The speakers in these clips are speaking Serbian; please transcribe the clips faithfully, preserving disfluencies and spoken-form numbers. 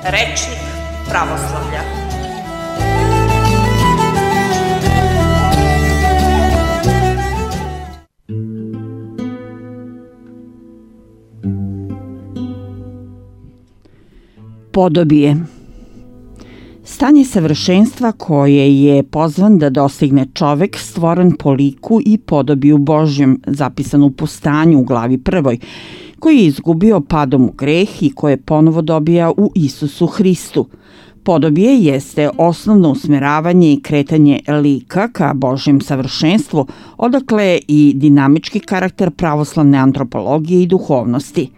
Rečnik pravoslavlja. Podobije. Stanje savršenstva koje je pozvan da dostigne čovek stvoren po liku i podobiju Božjem, zapisan u Postanju u glavi prvoj, koji je izgubio padom u greh i koje ponovo dobija u Isusu Hristu. Podobije jeste osnovno usmeravanje i kretanje lika ka Božjem savršenstvu, odakle i dinamički karakter pravoslavne antropologije i duhovnosti.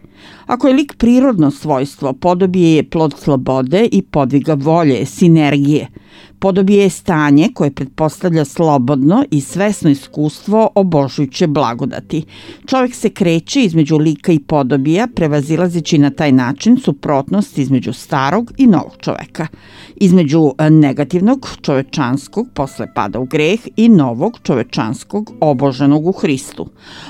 Ako je lik prirodno svojstvo, podobije je plod slobode i podviga volje, sinergije. Podobije je stanje koje pretpostavlja slobodno i svesno iskustvo obožujuće blagodati. Čovjek se kreće između lika i podobija, prevazilazeći na taj način suprotnost između starog i novog čoveka. Između negativnog čovečanskog posle pada u greh i novog čovečanskog oboženog u Hristu.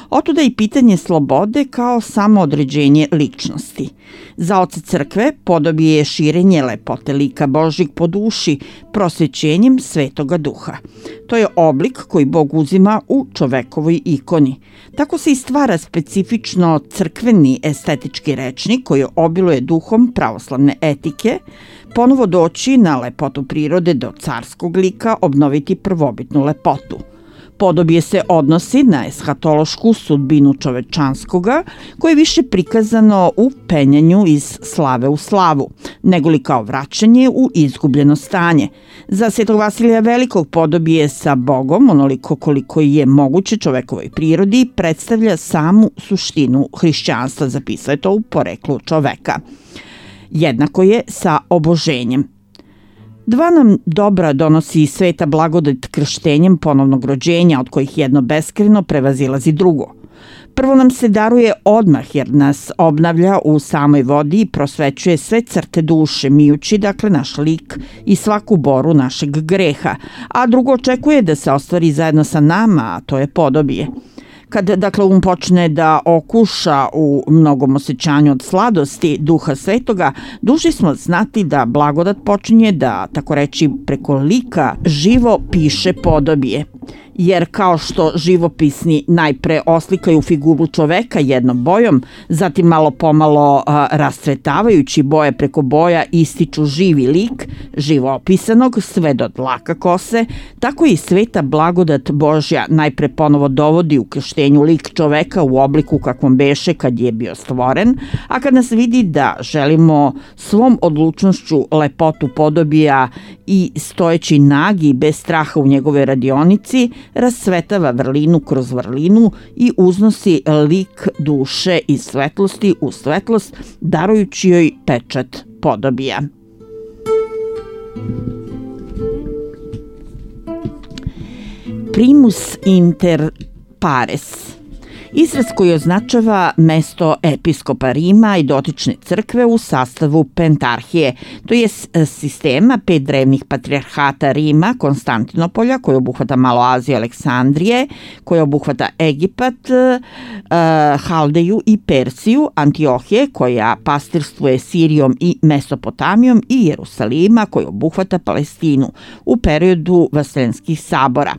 Otuda i pitanje slobode kao samoodređenje ličnosti. Za oca crkve podobije je širenje lepote lika Božjeg po duši prosvećenjem Svetoga Duha. To je oblik koji Bog uzima u čovekovoj ikoni. Tako se i stvara specifično crkveni estetički rečnik koji obiluje duhom pravoslavne etike, ponovo doći na lepotu prirode do carskog lika, obnoviti prvobitnu lepotu. Podobije se odnosi na eshatološku sudbinu čovečanskoga, koje je više prikazano u penjanju iz slave u slavu, nego li kao vraćanje u izgubljeno stanje. Za Svetog Vasilija Velikog podobije sa Bogom, onoliko koliko je moguće čovekovoj prirodi, predstavlja samu suštinu hrišćanstva, zapisao je to u Poreklu čoveka. Jednako je sa oboženjem. Dva nam dobra donosi sveta blagodat krštenjem ponovnog rođenja, od kojih jedno beskrajno prevazilazi drugo. Prvo nam se daruje odmah jer nas obnavlja u samoj vodi i prosvećuje sve crte duše, mijući dakle naš lik i svaku boru našeg greha, a drugo očekuje da se ostvari zajedno sa nama, a to je podobije. Kad, dakle, um počne da okuša u mnogom osjećanju od sladosti Duha Svetoga, dužni smo znati da blagodat počinje da, tako reći, preko lika živo piše podobije. Jer kao što živopisni najpre oslikaju figuru čoveka jednom bojom, zatim malo pomalo a, rastretavajući boje preko boja ističu živi lik, živo opisanog, sve do dlaka kose, tako i sveta blagodat Božja najpre ponovo dovodi u krštenju lik čoveka u obliku kakvom beše kad je bio stvoren, a kad nas vidi da želimo svom odlučnošću lepotu podobija i stojeći nagi bez straha u njegove radionici, rasvetava vrlinu kroz vrlinu i uznosi lik duše iz svetlosti u svetlost, darujući joj pečat podobija. Primus inter pares. Izraz koji označava mesto episkopa Rima i dotične crkve u sastavu pentarhije, to je sistema pet drevnih patrijarhata Rima, Konstantinopolja, koji obuhvata Malo Aziju, Aleksandrije, koji obuhvata Egipat, Haldeju i Persiju, Antiohije, koja pastirstuje Sirijom i Mesopotamijom, i Jerusalima, koji obuhvata Palestinu u periodu Vaseljenskih sabora.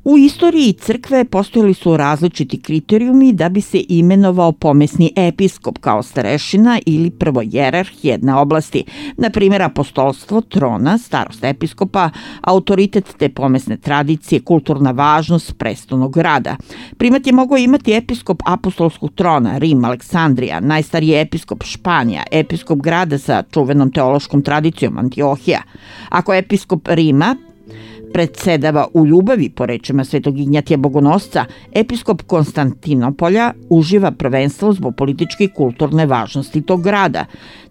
U istoriji crkve postojali su različiti kriterijumi da bi se imenovao pomesni episkop kao starešina ili prvojerarh jedne oblasti, na primjer apostolstvo, trona, starost episkopa, autoritet te pomesne tradicije, kulturna važnost prestolnog grada. Primat je mogao imati episkop apostolskog trona, Rim, Aleksandrija, najstariji episkop Španija, episkop grada sa čuvenom teološkom tradicijom, Antiohija. Ako episkop Rima predsedava u ljubavi, po rečima Svetog Ignjatija Bogonosca, episkop Konstantinopolja uživa prvenstvo zbog političke i kulturne važnosti tog grada.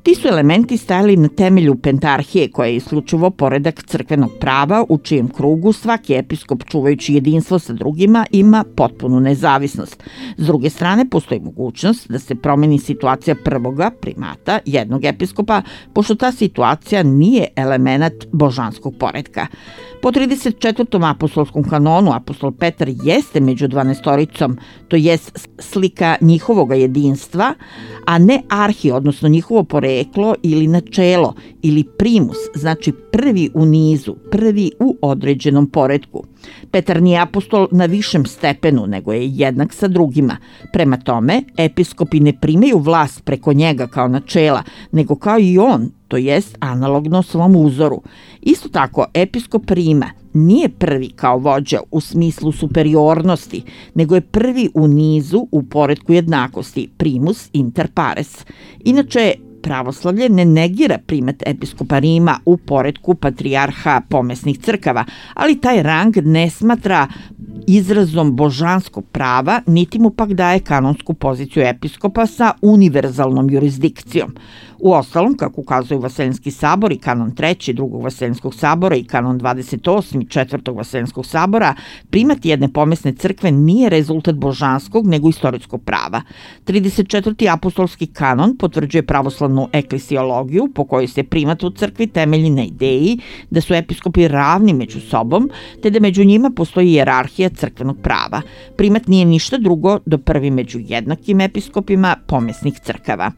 Ti su elementi stajali na temelju pentarhije, koja je isključivo poredak crkvenog prava, u čijem krugu svaki episkop, čuvajući jedinstvo sa drugima, ima potpunu nezavisnost. S druge strane, postoji mogućnost da se promeni situacija prvoga primata, jednog episkopa, pošto ta situacija nije element božanskog poretka. Po trideset trideset četvrtom apostolskom kanonu apostol Petar jeste među dvanaestoricom, to jest slika njihovog jedinstva, a ne arhi, odnosno njihovo poreklo ili načelo, ili primus, znači prvi u nizu, prvi u određenom poretku. Petar nije apostol na višem stepenu, nego je jednak sa drugima. Prema tome, episkopi ne primaju vlast preko njega kao načela, nego kao i on, to jest analogno svom uzoru. Isto tako, episkop Rima nije prvi kao vođa u smislu superiornosti, nego je prvi u nizu u poretku jednakosti, primus inter pares. Inače, pravoslavlje ne negira primat episkopa Rima u poretku patrijarha pomesnih crkava, ali taj rang ne smatra izrazom božanskog prava, niti mu pak daje kanonsku poziciju episkopa sa univerzalnom jurisdikcijom. U ostalom, kako ukazuju Vaseljenski sabor i kanon treći drugog Vaseljenskog sabora i kanon dvadeset osmi četvrtog Vaseljenskog sabora, primat jedne pomesne crkve nije rezultat božanskog, nego istorijskog prava. trideset četvrti apostolski kanon potvrđuje pravoslavnu eklesiologiju, po kojoj se primat u crkvi temelji na ideji da su episkopi ravni među sobom, te da među njima postoji hijerarhija crkvenog prava. Primat nije ništa drugo do prvi među jednakim episkopima pomesnih crkava.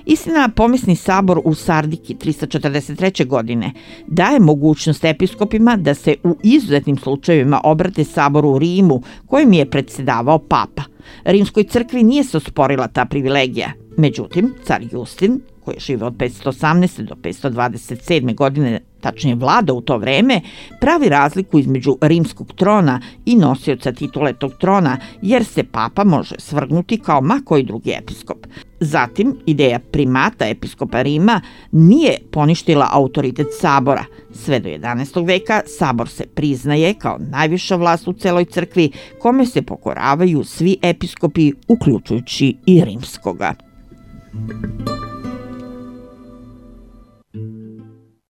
Istina, pomesni sabor u Sardiki tristo četrdeset treće. godine daje mogućnost episkopima da se u izuzetnim slučajevima obrate saboru u Rimu, kojim je predsedavao papa. Rimskoj crkvi nije se osporila ta privilegija. Međutim, car Justin, koji je živeo od petsto osamnaeste. do petsto dvadeset sedme. godine, tačnije vlada u to vreme, pravi razliku između rimskog trona i nosioca titule tog trona, jer se papa može svrgnuti kao ma koji drugi episkop. Zatim, ideja primata episkopa Rima nije poništila autoritet sabora. Sve do jedanaestog veka sabor se priznaje kao najviša vlast u celoj crkvi, kome se pokoravaju svi episkopi, uključujući i rimskoga.